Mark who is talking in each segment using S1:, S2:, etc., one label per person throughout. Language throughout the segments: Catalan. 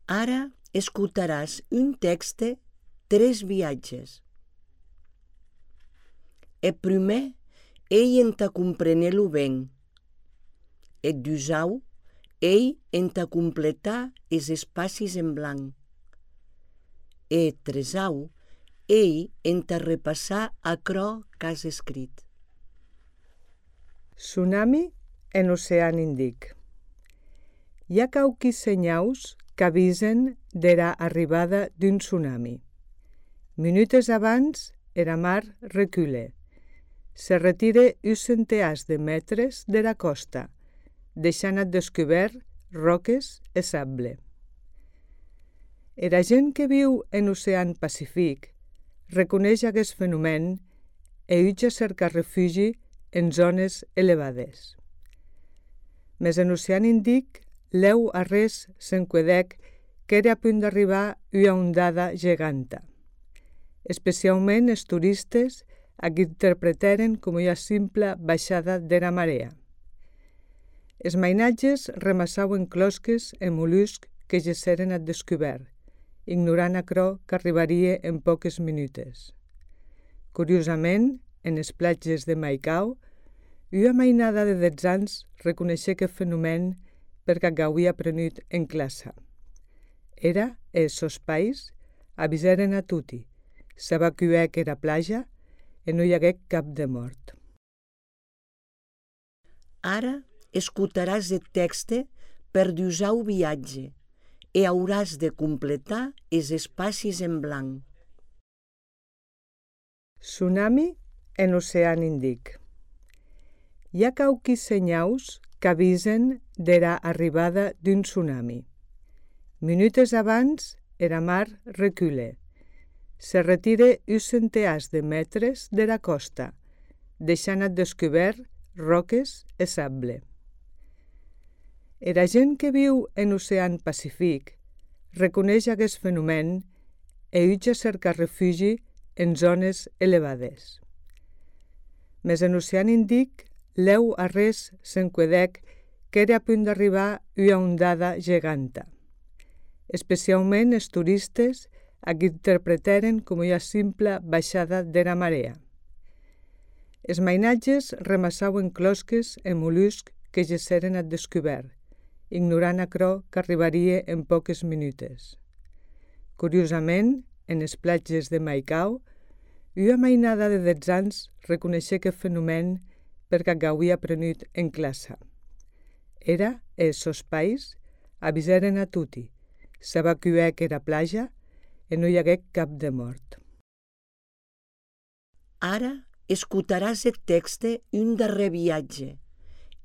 S1: Ara escutaràs un texte, 3 viatges. E primer, ei entà comprenir-lo ben. E dusau, ei entà completar es espacis en blanc. E tresau, ei entà repassar aquerò qu'has escrit.
S2: Tsunami en Ocean Indic. Hi ha quauquis senhaus qu'avisen dera arribada d'un tsunami. Minutes abans, era mar recule. Se retire uns centenars de metres dera costa, deixant at descobert roques e sable. Era gent que viu en l'Ocean Pacífic reconeix aquest fenomen e uja cercar refugi en zones elevades. Mes en l'Ocean Indic, l'eu arrés s'enquedèc qu'era a punt d'arribar una ondada geganta. Especialment els turistes a qui interpretaren com una simple baixada dera marea. Els mainatges remassauen closques e moluscs que gesseren at descobert, ignorant aquerò qu'arribaria en poques minutes. Curiosament, en les platges de Maicao, una mainada de 10 anys reconeixé aquest fenomen perquè gauia aprenut en classe. Era, els sos pais, avisaren a tutti, s'evacuèc era plaja e no hi hagué cap de mort.
S1: Ara escutaràs el texte per dusau viatge e hauràs de completar els espacis en blanc.
S2: Tsunami en Ocean Indic. Hi ha quauquis senhaus qu'avisen dera arribada d'un tsunami. Minutes abans, era mar recule. Se retire uns centenars de metres dera costa, deixant at descobert roques e sable. Era gent que viu en l'Ocean Pacífic reconeix aquest fenomen e uja cercar refugi en zones elevades. Mes en l'Ocean Indic, l'eu arrés s'enquedèc qu'era a punt d'arribar una ondada geganta. Especialment els turistes a qui interpretaren com una simple baixada dera marea. Els mainatges remassauen closques e moluscs que gesseren at descobert, ignorant aquerò qu'arribaria en poques minutes. Curiosament, en les platges de Maicao, una mainada de 10 anys reconeixé aquest fenomen perquè gauia aprenut en classe. Era, els sos pais, avisaren a tutti, s'evacuèc era plaja e no hi hagué cap de mort.
S1: Ara escutaràs el texte un darrer viatge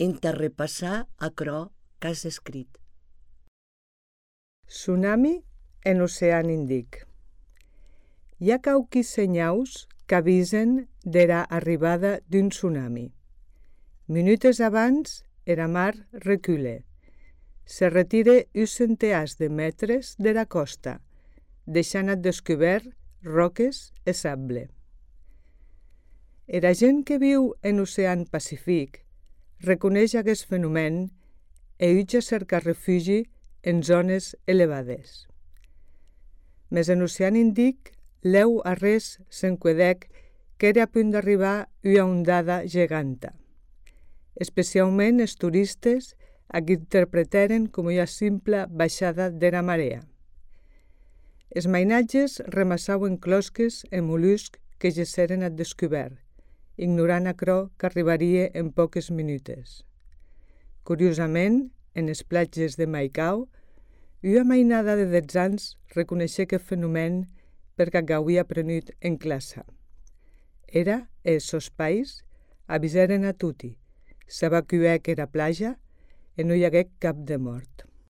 S1: entà repassar aquerò qu'has escrit.
S2: Tsunami en Ocean Indic. Hi ha quauquis senhaus qu'avisen dera arribada d'un tsunami. Minutes abans, era mar recule. Se retire uns centenars de metres dera costa, deixant at descobert roques e sable. Era gent que viu en l'Ocean Pacífic reconeix aquest fenomen e uja cercar refugi en zones elevades. Mes en l'Ocean Indic, l'eu arrés s'enquedèc qu'era a punt d'arribar una ondada geganta. Especialment els turistes a qui interpretaren com una simple baixada dera marea. Els mainatges remassauen closques e moluscs que gesseren at descobert, ignorant aquerò qu'arribaria en poques minutes. Curiosament, en les platges de Maicao, una mainada de 10 anys reconeixé aquest fenomen perquè gauia aprenut en classe. Era, els sos pais, avisaren a tutti, s'evacuèc era plaja e no hi hagué cap de mort.